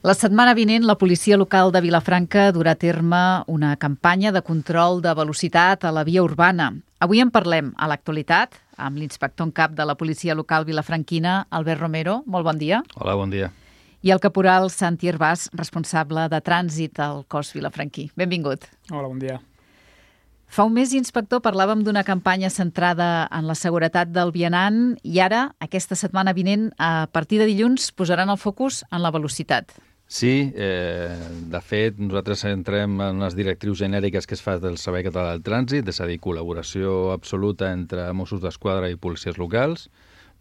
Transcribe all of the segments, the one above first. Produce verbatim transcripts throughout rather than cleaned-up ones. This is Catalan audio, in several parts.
La setmana vinent, la policia local de Vilafranca durà a terme una campanya de control de velocitat a la via urbana. Avui en parlem a l'actualitat amb l'inspector en cap de la policia local vilafranquina, Albert Romero. Molt bon dia. Hola, bon dia. I el caporal Santi Hervàs, responsable de trànsit al cos vilafranquí. Benvingut. Hola, bon dia. Fa un mes, inspector, parlàvem d'una campanya centrada en la seguretat del vianant i ara, aquesta setmana vinent, a partir de dilluns, posaran el focus en la velocitat. Sí, eh, de fet, nosaltres entrem en les directrius genèriques que es fa del Servei Català del Trànsit, és a dir, col·laboració absoluta entre Mossos d'Esquadra i policies locals,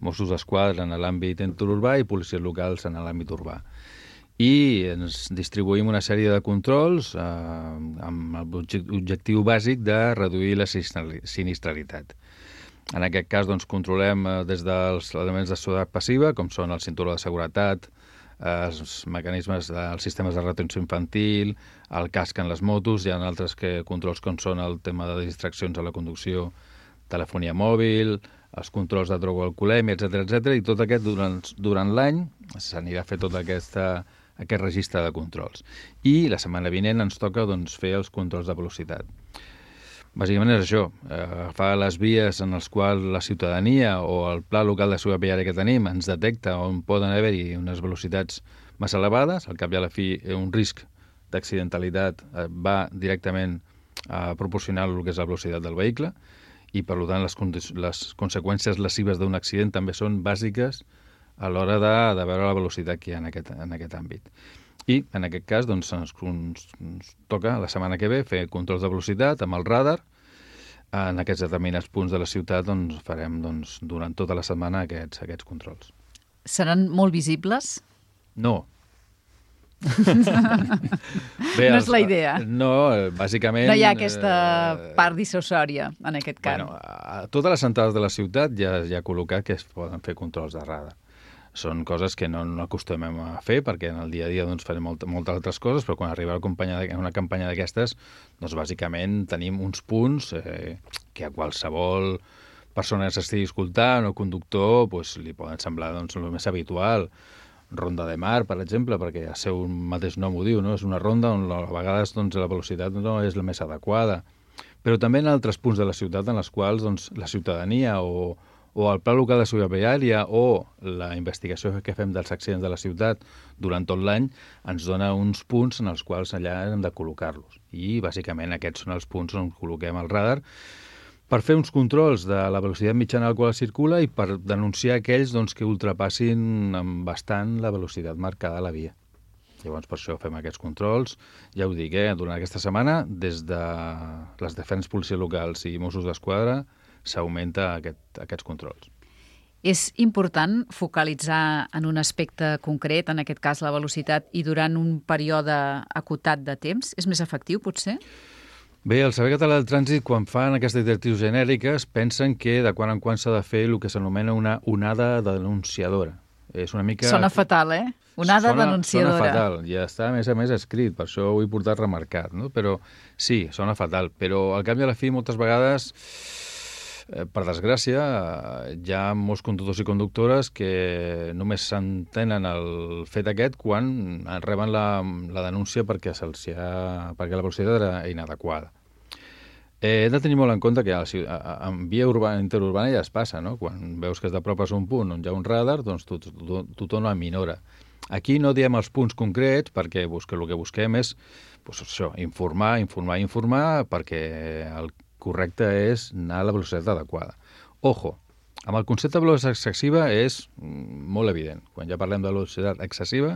Mossos d'Esquadra en l'àmbit interurbà i policies locals en l'àmbit urbà. I ens distribuïm una sèrie de controls eh, amb l'objectiu bàsic de reduir la sinistralitat. En aquest cas, doncs, controlem eh, des dels elements de seguretat passiva, com són el cinturó de seguretat, eh, els mecanismes dels sistemes de retenció infantil, el casc en les motos, hi ha altres que, controls com són el tema de distraccions a la conducció, telefonia mòbil, els controls de droga o alcoholèmia, etcètera, etcètera, i tot aquest durant, durant l'any s'anirà a fer tota aquesta aquest registre de controls. I la setmana vinent ens toca doncs, fer els controls de velocitat. Bàsicament és això, eh, agafar les vies en les quals la ciutadania o el pla local de seguretat viària que tenim ens detecta on poden haver-hi unes velocitats massa elevades, al cap i a la fi un risc d'accidentalitat eh, va directament a proporcionar el que és la velocitat del vehicle i per tant les, les conseqüències lesives d'un accident també són bàsiques a l'hora de, de veure la velocitat que hi ha en aquest, en aquest àmbit. I, en aquest cas, doncs, ens, ens, ens toca la setmana que ve fer controls de velocitat amb el radar. En aquests determinats punts de la ciutat doncs, farem doncs, durant tota la setmana aquests, aquests controls. Seran molt visibles? No. Bé, no és la idea. No, bàsicament... No hi ha aquesta part dissuasòria, en aquest cas. Bueno, a totes les entrades de la ciutat ja, ja ha col·locat que es poden fer controls de radar. Són coses que no, no acostumem a fer perquè en el dia a dia doncs, farem molt, moltes altres coses, però quan arriba a una campanya d'aquestes, doncs bàsicament tenim uns punts eh, que a qualsevol persona que s'estigui escoltant o conductor doncs, li poden semblar doncs, el més habitual. Ronda de mar, per exemple, perquè el seu mateix nom ho diu, no? És una ronda on a vegades doncs, la velocitat no és la més adequada. Però també en altres punts de la ciutat en els quals doncs, la ciutadania o o el Pla Local de Seguretat Viària o la investigació que fem dels accidents de la ciutat durant tot l'any ens dona uns punts en els quals allà hem de col·locar-los. I, bàsicament, aquests són els punts on col·loquem el radar per fer uns controls de la velocitat mitjana a la qual circula i per denunciar aquells doncs, que ultrapassin bastant la velocitat marcada a la via. Llavors, per això fem aquests controls. Ja ho dic, eh? Durant aquesta setmana, des de les diferents policies locals i Mossos d'Esquadra, s'augmenta aquest, aquests controls. És important focalitzar en un aspecte concret, en aquest cas la velocitat, i durant un període acotat de temps? És més efectiu, potser? Bé, el Servei Català del Trànsit, quan fan aquestes directrius genèriques, pensen que de quan en quan s'ha de fer el que s'anomena una onada denunciadora. És una mica... Sona fatal, eh? Onada sona, denunciadora. Sona fatal, ja està a més a més escrit, per això ho he portat remarcat, no? Però sí, sona fatal, però al cap i a la fi moltes vegades... Per desgràcia, hi ha molts conductors i conductores que només s'entenen el fet aquest quan reben la, la denúncia perquè, ha, perquè la velocitat era inadequada. Eh, hem de tenir molt en compte que a la, a, en via urbana, interurbana ja es passa, no? Quan veus que has d'apropes a un punt on hi ha un radar, doncs tu, tu, tu, tothom ho aminora. Aquí no diem els punts concrets perquè busca, el que busquem és pues, això, informar, informar, informar perquè el correcte és anar a la velocitat adequada. Ojo, amb el concepte de velocitat excessiva és molt evident. Quan ja parlem de velocitat excessiva,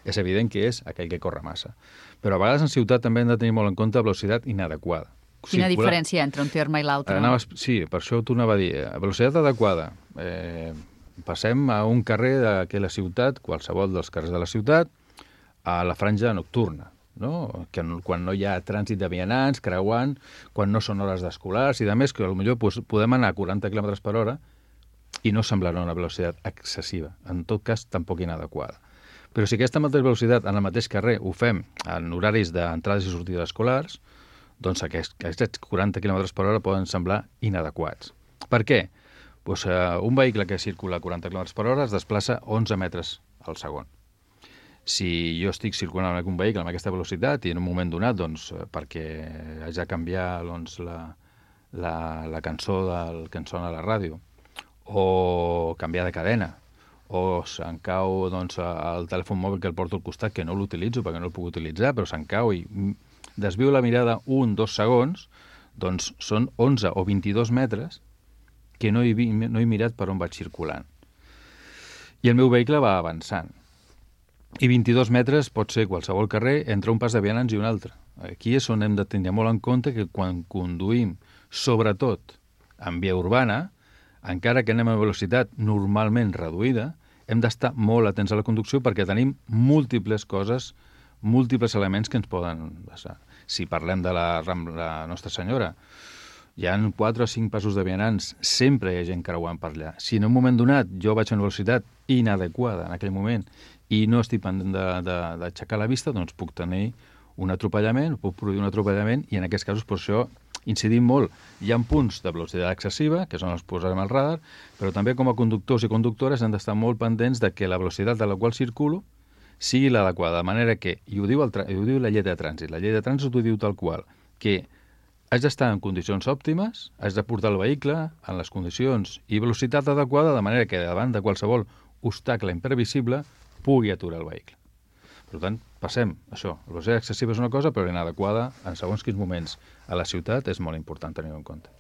és evident que és aquell que corre massa. Però a vegades en ciutat també hem de tenir molt en compte velocitat inadequada. Quina Circular... diferència entre un terme i l'altre? Anaves... Sí, per això t'ho anava a dir. Velocitat adequada. Eh, passem a un carrer de la ciutat, qualsevol dels carrers de la ciutat, a la franja nocturna. No? Que quan no hi ha trànsit de vianants, creuant, quan no són hores d'escolars i de més, que potser pues, podem anar a quaranta quilòmetres per hora i no semblarà una velocitat excessiva, en tot cas tampoc inadequada. Però si aquesta mateixa velocitat en el mateix carrer ho fem en horaris d'entrades i sortides escolars, doncs aquests, aquests quaranta quilòmetres per hora poden semblar inadequats. Per què? Pues, uh, un vehicle que circula a quaranta quilòmetres per hora es desplaça onze metres al segon. Si jo estic circulant amb un vehicle amb aquesta velocitat i en un moment donat, doncs, perquè haig de canviar doncs, la, la, la cançó del, que em sona a la ràdio, o canviar de cadena, o se'm cau doncs, el telèfon mòbil que el porto al costat, que no l'utilitzo perquè no el puc utilitzar, però se'm cau i desvio la mirada un, dos segons, doncs són onze o vint-i-dos metres que no he, no he mirat per on vaig circulant. I el meu vehicle va avançant. I vint-i-dos metres pot ser qualsevol carrer entre un pas de vianants i un altre. Aquí és on hem de tenir molt en compte que quan conduïm, sobretot en via urbana, encara que anem a velocitat normalment reduïda, hem d'estar molt atents a la conducció perquè tenim múltiples coses, múltiples elements que ens poden passar. Si parlem de la Rambla Nostra Senyora, hi ha quatre o cinc passos de vianants, sempre hi ha gent creuant per allà. Si en un moment donat jo vaig a una velocitat inadequada en aquell moment i no estic pendent d'aixecar la vista, doncs puc tenir un atropellament, puc produir un atropellament i en aquests casos per això incidim molt. Hi ha punts de velocitat excessiva, que són els que posarem al radar, però també com a conductors i conductores hem d'estar molt pendents de que la velocitat a la qual circulo sigui l'adequada, de manera que, i ho diu, el, ho diu la llei de trànsit, la llei de trànsit ho diu tal qual, que has d'estar en condicions òptimes, has de portar el vehicle en les condicions i velocitat adequada, de manera que davant de qualsevol obstacle imprevisible pugui aturar el vehicle. Per tant, passem, això, la velocitat excessiva és una cosa, però inadequada en segons quins moments a la ciutat és molt important tenir-ho en compte.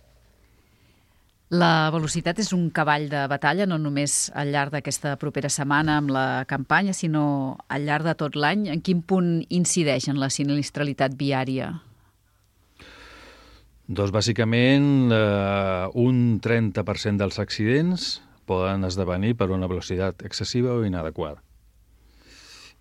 La velocitat és un cavall de batalla, no només al llarg d'aquesta propera setmana amb la campanya, sinó al llarg de tot l'any. En quin punt incideix en la sinistralitat viària? Doncs bàsicament eh, un trenta per cent dels accidents poden esdevenir per una velocitat excessiva o inadequada.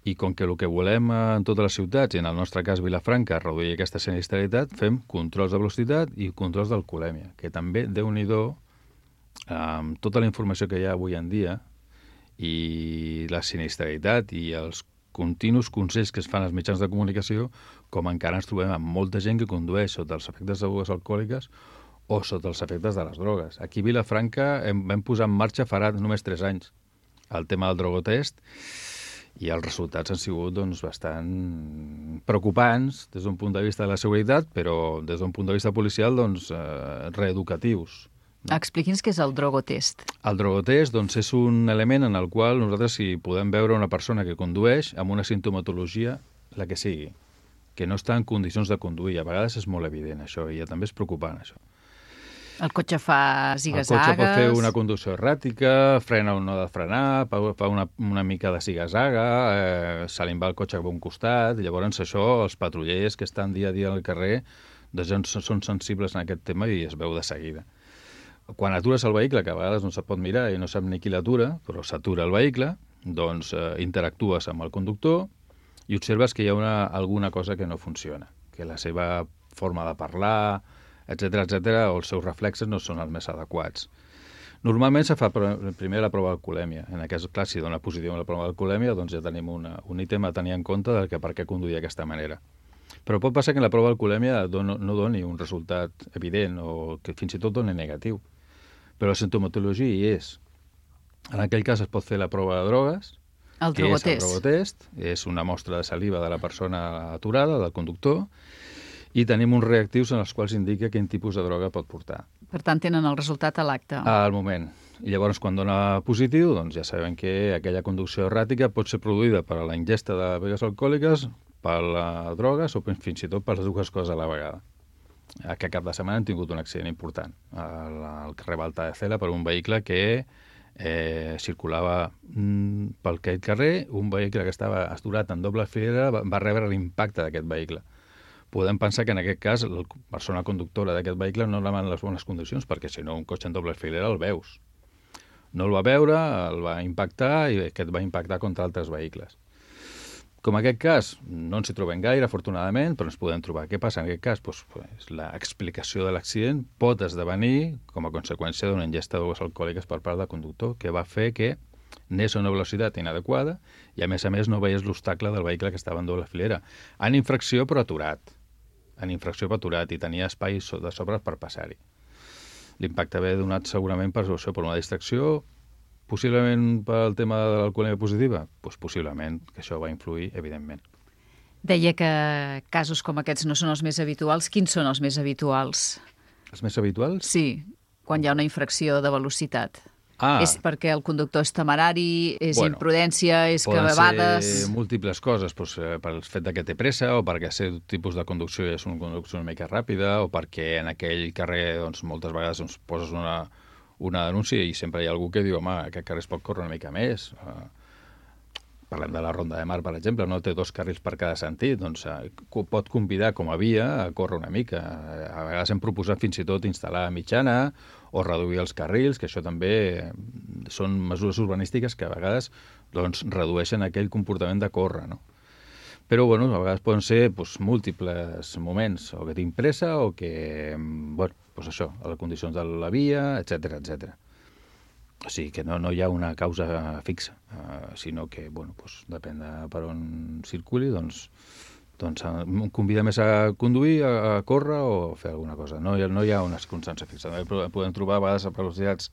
I com que el que volem en totes les ciutats, i en el nostre cas Vilafranca, reduir aquesta sinistralitat, fem controls de velocitat i controls d'alcoholèmia, que també, Déu-n'hi-do, amb tota la informació que hi ha avui en dia i la sinistralitat i els continus consells que es fan als mitjans de comunicació, com encara ens trobem amb molta gent que condueix sota els efectes de begudes alcohòliques o sota els efectes de les drogues. Aquí a Vilafranca hem, vam posar en marxa farà només tres anys el tema del drogotest i els resultats han sigut doncs, bastant preocupants des d'un punt de vista de la seguretat, però des d'un punt de vista policial doncs, eh, reeducatius. No? Expliqui'ns què és el drogotest. El drogotest doncs, és un element en el qual nosaltres si podem veure una persona que condueix amb una sintomatologia, la que sigui, que no està en condicions de conduir. A vegades és molt evident això i també és preocupant això. El cotxe fa zigazagues... El cotxe pot fer una conducció erràtica, frena o no ha de frenar, fa una, una mica de zigazaga, eh, se li va el cotxe cap a un costat, i llavors això, els patrullers que estan dia a dia al carrer, doncs són sensibles en aquest tema i es veu de seguida. Quan atures el vehicle, que a vegades no se pot mirar i no sap ni qui l'atura, però s'atura el vehicle, doncs eh, interactues amb el conductor i observes que hi ha una, alguna cosa que no funciona, que la seva forma de parlar, etcètera, etcètera, o els seus reflexes no són els més adequats. Normalment se fa primer la prova d'alcoholèmia. En aquest cas, si dona positiu en la prova d'alcoholèmia, doncs ja tenim una, un ítem a tenir en compte del que per què conduir d'aquesta manera. Però pot passar que en la prova d'alcoholèmia no, no doni un resultat evident o que fins i tot doni negatiu. Però la sintomatologia hi és. En aquell cas es pot fer la prova de drogues, el que és el drogotest, és una mostra de saliva de la persona aturada, del conductor, i tenim uns reactius en els quals indica quin tipus de droga pot portar. Per tant, tenen el resultat a l'acte. Al moment. I llavors, quan dona positiu, doncs ja sabem que aquella conducció erràtica pot ser produïda per la ingesta de begudes alcohòliques, per les drogues o fins i tot per les dues coses a la vegada. Aquest cap de setmana hem tingut un accident important al, al carrer Balta de Cela per un vehicle que eh, circulava mm, pel aquell carrer, un vehicle que estava aturat en doble filera va, va rebre l'impacte d'aquest vehicle. Podem pensar que en aquest cas la persona conductora d'aquest vehicle no anava en les bones condicions, perquè si no un cotxe en doble filera el veus. No el va veure, el va impactar i aquest va impactar contra altres vehicles. Com en aquest cas no ens hi trobem gaire, afortunadament, però ens podem trobar. Què passa en aquest cas? Pues, pues, l'explicació de l'accident pot esdevenir com a conseqüència d'una ingesta de begudes alcohòliques per part del conductor, que va fer que anés a una velocitat inadequada i, a més a més, no veies l'obstacle del vehicle que estava en doble filera. En infracció, però aturat. En infracció per aturat i tenia espai de sobre per passar-hi. L'impacte ve donat segurament per, per una distracció Possiblement pel tema de l'alcoholèmia positiva? Doncs possiblement, que això va influir, evidentment. Deia que casos com aquests no són els més habituals. Quins són els més habituals? Els més habituals? Sí, quan hi ha una infracció de velocitat. Ah. És perquè el conductor és temerari, és Bueno, imprudència, és que a Poden vegades... ser múltiples coses, doncs, eh, pel fet de que té pressa, o perquè aquest tipus de conducció és una conducció una mica ràpida, o perquè en aquell carrer doncs, moltes vegades doncs, poses una, una denúncia i sempre hi ha algú que diu, home, aquest carrer es pot córrer una mica més. Eh, parlem de la Ronda de Mar, per exemple, no té dos carrils per cada sentit, doncs eh, pot convidar com a via a córrer una mica. A vegades hem proposat fins i tot instal·lar mitjana o reduir els carrils, que això també són mesures urbanístiques que a vegades doncs, redueixen aquell comportament de córrer, no? Però, bueno, a vegades poden ser doncs, múltiples moments, o que tinc pressa, o que, bueno, doncs això, a les condicions de la via, etcètera, etcètera. O sigui que no, no hi ha una causa fixa, uh, sinó que, bueno, doncs, depèn de per on circuli, doncs, doncs em convida més a conduir, a, a córrer o fer alguna cosa. No hi ha, no hi ha una constància fixa. Podem trobar a vegades a velocitats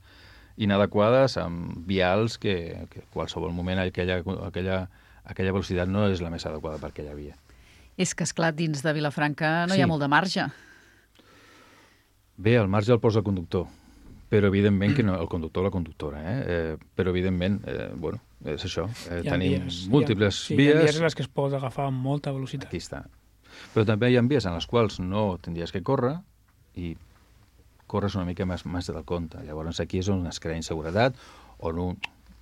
inadequades amb vials que, que a qualsevol moment aquella, aquella, aquella velocitat no és la més adequada per aquella via. És que, esclar, dins de Vilafranca no Sí. hi ha molt de marge. Bé, el marge el posa el conductor, però evidentment que no, el conductor o la conductora, eh? eh però evidentment, eh, bueno, és això, eh, Hi ha tenim vies, múltiples hi ha, sí, vies. Hi ha vies en les que es pot agafar amb molta velocitat. Aquí està. Però també hi ha vies en les quals no tindries que córrer i corres una mica més, més del compte. Llavors aquí és on es crea inseguretat, on, un,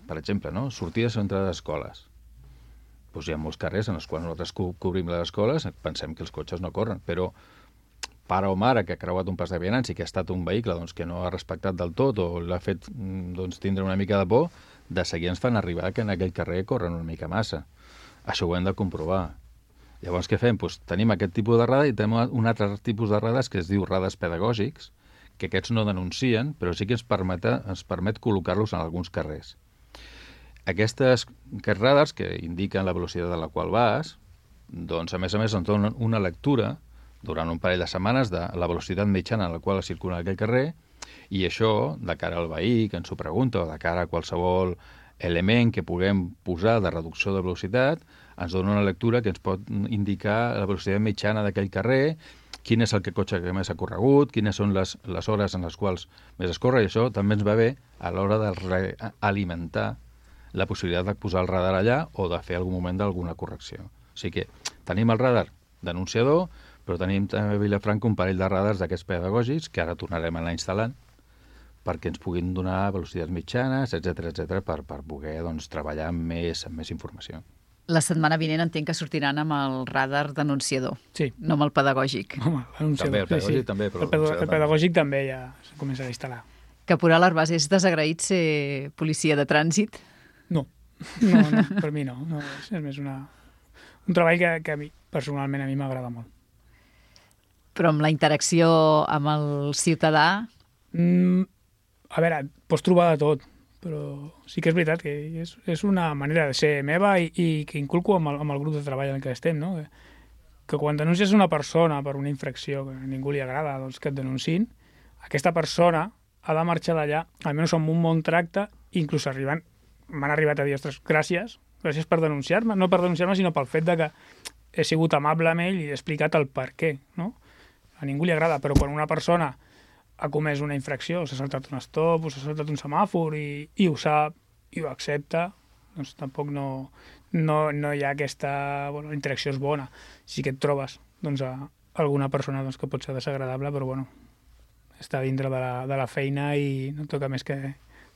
per exemple, no? sortides o entrades d'escoles. Doncs hi ha molts carrers en els quals nosaltres co cobrim les escoles, pensem que els cotxes no corren, però pare o mare que ha creuat un pas de vianants i que ha estat un vehicle doncs, que no ha respectat del tot o l'ha fet doncs, tindre una mica de por, de seguir ens fan arribar que en aquell carrer corren una mica massa. Això ho hem de comprovar. Llavors, què fem? Doncs tenim aquest tipus de radar i tenim un altre tipus de radars que es diu radars pedagògics, que aquests no denuncien, però sí que ens permet, ens permet col·locar-los en alguns carrers. Aquestes, aquests radars, que indiquen la velocitat a la qual vas, doncs, a més a més, ens donen una lectura durant un parell de setmanes de la velocitat mitjana en la qual circula aquell carrer, i això, de cara al veí que ens ho pregunta, o de cara a qualsevol element que puguem posar de reducció de velocitat, ens dona una lectura que ens pot indicar la velocitat mitjana d'aquell carrer, quin és el que cotxe que més ha corregut, quines són les, les hores en les quals més es corre, i això també ens va bé a l'hora d'alimentar la possibilitat de posar el radar allà o de fer algun moment d'alguna correcció. O sigui que tenim el radar denunciador, però tenim també a Vilafranca un parell de radars d'aquests pedagògics que ara tornarem a anar instal·lant perquè ens puguin donar velocitats mitjanes, etcètera, etcètera, per, per poder doncs, treballar amb més, amb més informació. La setmana vinent entenc que sortiran amb el radar denunciador, Sí. no amb el pedagògic. Home, l'anunciador, També, el pedagògic sí, sí. també, però El, pedo, l'anunciador el pedagògic també ja s'ha començat a instal·lar. Caporal Arbàs, és desagraït ser policia de trànsit? No, no, no per mi no. no és, és més una, un treball que, que a mi, personalment a mi m'agrada molt. Però amb la interacció amb el ciutadà... Mm, a veure, pots trobar de tot, però sí que és veritat que és, és una manera de ser meva i, i que inculco amb el, amb el grup de treball en què estem, no? Que, que quan denuncies una persona per una infracció que a ningú li agrada doncs, que et denunciïn, aquesta persona ha de marxar d'allà, almenys amb un bon tracte, inclús arribant, m'han arribat a dir, ostres, gràcies, gràcies per denunciar-me, no per denunciar-me, sinó pel fet de que he sigut amable amb ell i he explicat el per què, no? A ningú li agrada, però quan una persona ha comès una infracció, s'ha saltat un stop, o s'ha saltat un semàfor i, i ho sap, i ho accepta, doncs tampoc no, no, no hi ha aquesta... Bueno, la interacció és bona. Sí que et trobes doncs, a alguna persona doncs, que pot ser desagradable, però bueno, està dintre de la, de la feina i no toca més que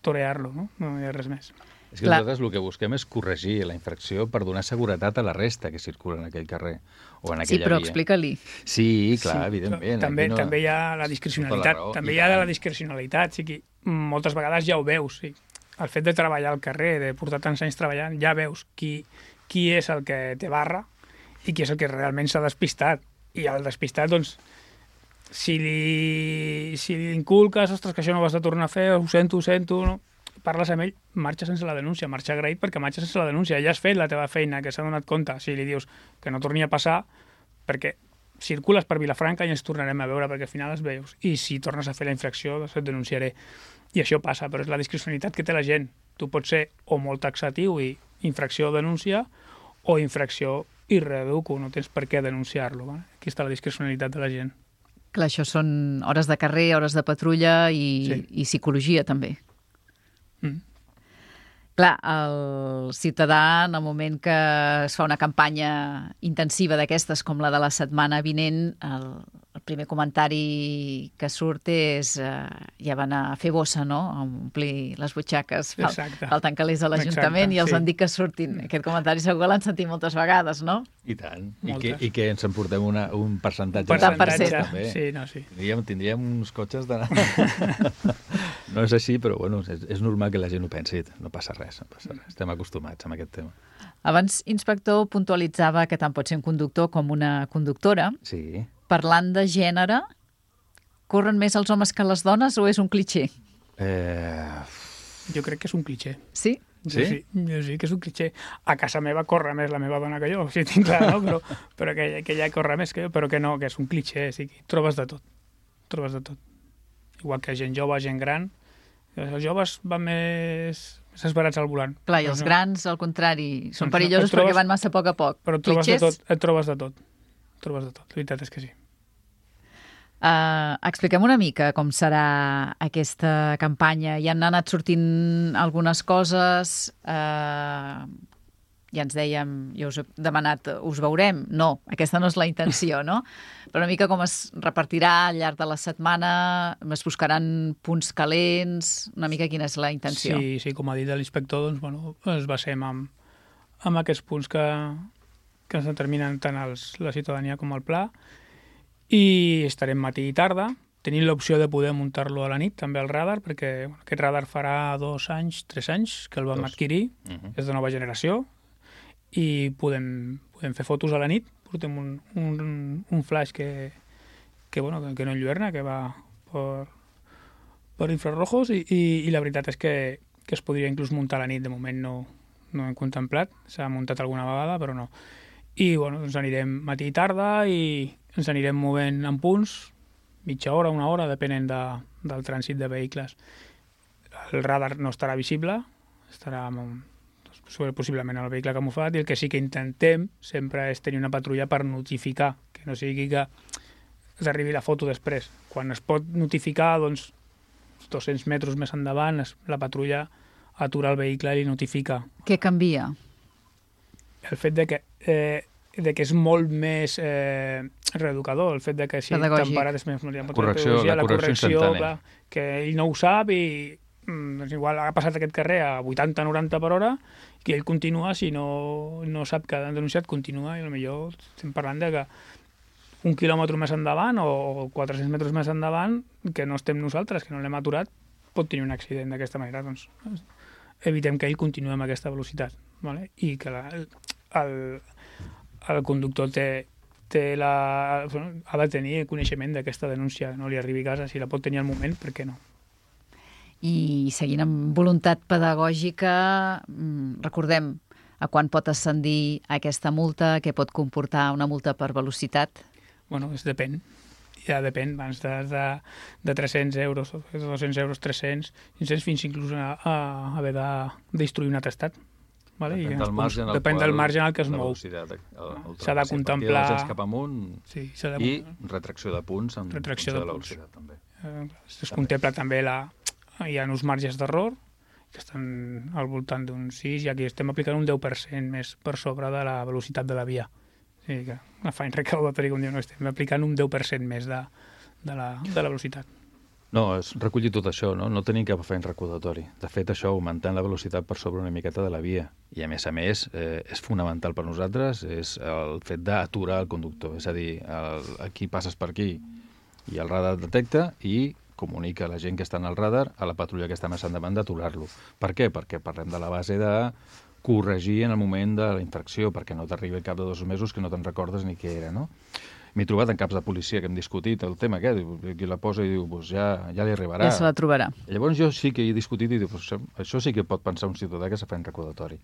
torear-lo, no? No hi ha res més. És que Clar. nosaltres el que busquem és corregir la infracció per donar seguretat a la resta que circula en aquell carrer o en aquella Sí, però via. explica-li. Sí, clar, Sí, evidentment. També, no... també hi ha la discrecionalitat. raó, També i hi ha tant. la discrecionalitat. O sigui, moltes vegades ja ho veus. Sí. El fet de treballar al carrer, de portar tants anys treballant, ja veus qui, qui és el que té barra i qui és el que realment s'ha despistat. I el despistat, doncs, si li, si li inculques, ostres, que això no ho has de tornar a fer, ho sento, ho sento, no? Parles amb ell, marxa sense la denúncia, marxa agraït perquè marxa sense la denúncia. Ja has fet la teva feina, que s'ha donat compte. Si li dius que no torni a passar, perquè circules per Vilafranca i ens tornarem a veure, perquè al final es veus. I si tornes a fer la infracció, doncs et denunciaré. I això passa, però és la discrecionalitat que té la gent. Tu pots ser o molt taxatiu i infracció o denúncia, o infracció i reeduco, no tens per què denunciar-lo. Vale? Aquí està la discrecionalitat de la gent. Clar, això són hores de carrer, hores de patrulla i, sí. i psicologia, també. Mm. Clar, el ciutadà, en el moment que es fa una campanya intensiva d'aquestes, com la de la setmana vinent, el, el primer comentari que surt és eh, ja van a fer bossa, no?, a omplir les butxaques, fal, falten calés a l'Ajuntament i els sí. han dit que surtin. Aquest comentari segur que l'han sentit moltes vegades, no? I tant. I que, i que ens emportem una, un percentatge. Un percentatge, també. Sí, no, sí. Tindríem, tindríem uns cotxes de... No és així, però bueno, és, és normal que la gent ho pensi. No passa res, no passa res. Estem acostumats amb aquest tema. Abans, inspector, puntualitzava que tant pot ser un conductor com una conductora. Sí. Parlant de gènere, corren més els homes que les dones o és un clitxer? Eh... Jo crec que és un clitxer. Sí? Jo sí? sí? Jo sí que és un clitxer. A casa meva corre més la meva dona que jo, si tinc clar, no? Però, però que, que ella corre més que jo, però que no, que és un clitxer. Sí, trobes de tot. Trobes de tot. Igual que gent jove, gent gran. Els joves van més, més esperats al volant. Clar, i els no. grans, al contrari, són doncs perillosos trobes, perquè van massa a poc a poc. Però et trobes de tot, et trobes de tot. Et trobes de tot, la veritat és que sí. Uh, expliquem una mica com serà aquesta campanya. Ja han anat sortint algunes coses, uh, ja ens dèiem, jo us he demanat, us veurem? No, aquesta no és la intenció, no? Però una mica com es repartirà al llarg de la setmana, es buscaran punts calents, una mica quina és la intenció. Sí, sí, com ha dit l'inspector, doncs, bueno, ens basem amb, amb aquests punts que, que ens determinen tant els, la ciutadania com el pla, i estarem matí i tarda. Tenim l'opció de poder muntar-lo a la nit, també al radar, perquè bueno, aquest radar farà dos anys, tres anys que el vam dos. adquirir, uh-huh. és de nova generació, i podem, podem fer fotos a la nit. Portem un, un, un flash que, que, bueno, que, que no enlluerna, que va per, per infrarrojos, i, i, i la veritat és que, que es podria inclús muntar a la nit. De moment no, no hem contemplat, s'ha muntat alguna vegada, però no. I bueno, ens anirem matí i tarda i ens anirem movent en punts, mitja hora, una hora, depenent de, del trànsit de vehicles. El radar no estarà visible, estarà doncs, possiblement el vehicle camuflat, i el que sí que intentem sempre és tenir una patrulla per notificar, que no sigui que s'arribi la foto després. Quan es pot notificar, doncs, dos-cents metres més endavant, la patrulla atura el vehicle i li notifica. Què canvia? El fet de que, eh, de que és molt més eh, reeducador, el fet de que si temperat és més... La correcció, la, la correcció instantània. Clar, que ell no ho sap i mm, doncs igual ha passat aquest carrer a vuitanta noranta per hora i ell continua, si no, no sap que han denunciat, continua, i potser estem parlant de que un quilòmetre més endavant o quatre-cents metres més endavant, que no estem nosaltres, que no l'hem aturat, pot tenir un accident d'aquesta manera. Doncs evitem que ell continuï amb aquesta velocitat, vale? I que la, el, el conductor té, té la, ha de tenir coneixement d'aquesta denúncia, no li arribi a casa, si la pot tenir al moment, per què no? I seguint amb voluntat pedagògica, recordem a quan pot ascendir aquesta multa, què pot comportar una multa per velocitat? Bueno, es depèn. Ja depèn, abans de, de, de tres-cents euros, de dos-cents euros, tres-cents, cinc-cents, fins inclús a, a haver de d'instruir un atestat. Vale? Depèn, del marge, en el depèn qual, del marge en el que es mou. S'ha de contemplar... Cap amunt, sí, de... i retracció de punts en retracció de, de la punts. velocitat, també. Eh, es també. contempla també la... Hi ha uns marges d'error que estan al voltant d'un sis, i aquí estem aplicant un deu per cent més per sobre de la velocitat de la via. O sigui que la fine recaudatori, com diu, no estem aplicant un deu per cent més de, de, la, de la velocitat. No, és recollir tot això, no? No tenim cap feina recaudatori. De fet, això, augmentant la velocitat per sobre una miqueta de la via. I, a més a més, eh, és fonamental per nosaltres, és el fet d'aturar el conductor. És a dir, el, aquí passes per aquí i el radar detecta i comunica a la gent que està en el radar, a la patrulla que està més endavant, d'aturar-lo. Per què? Perquè parlem de la base de corregir en el moment de la infracció, perquè no t'arribi al cap de dos mesos que no te'n recordes ni què era, no? M'he trobat en caps de policia que hem discutit el tema aquest, qui la posa i diu, pues ja, ja li arribarà. Ja se la trobarà. I llavors jo sí que he discutit i dic, pues, això sí que pot pensar un ciutadà que s'ha fet recaudatori.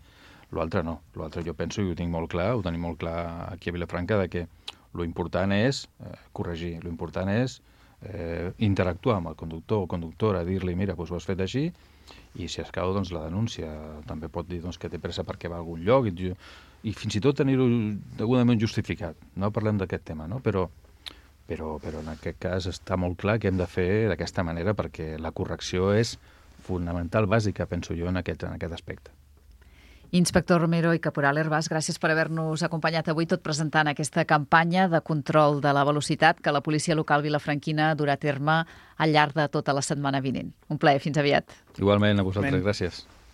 L'altre no. L'altre jo penso, i ho tinc molt clar, ho tenim molt clar aquí a Vilafranca, de que lo important és eh, corregir, lo important és eh, interactuar amb el conductor o conductora, dir-li, mira, doncs ho has fet així, I si escau, doncs, la denúncia. També pot dir doncs, que té pressa perquè va a algun lloc i, i fins i tot tenir-ho degudament justificat. No parlem d'aquest tema, no? Però, però, però en aquest cas està molt clar que hem de fer d'aquesta manera perquè la correcció és fonamental, bàsica, penso jo, en aquest, en aquest aspecte. Inspector Romero i Caporal Hervás, gràcies per haver-nos acompanyat avui tot presentant aquesta campanya de control de la velocitat que la policia local vilafranquina durà a terme al llarg de tota la setmana vinent. Un plaer, fins aviat. Igualment, a vosaltres, gràcies.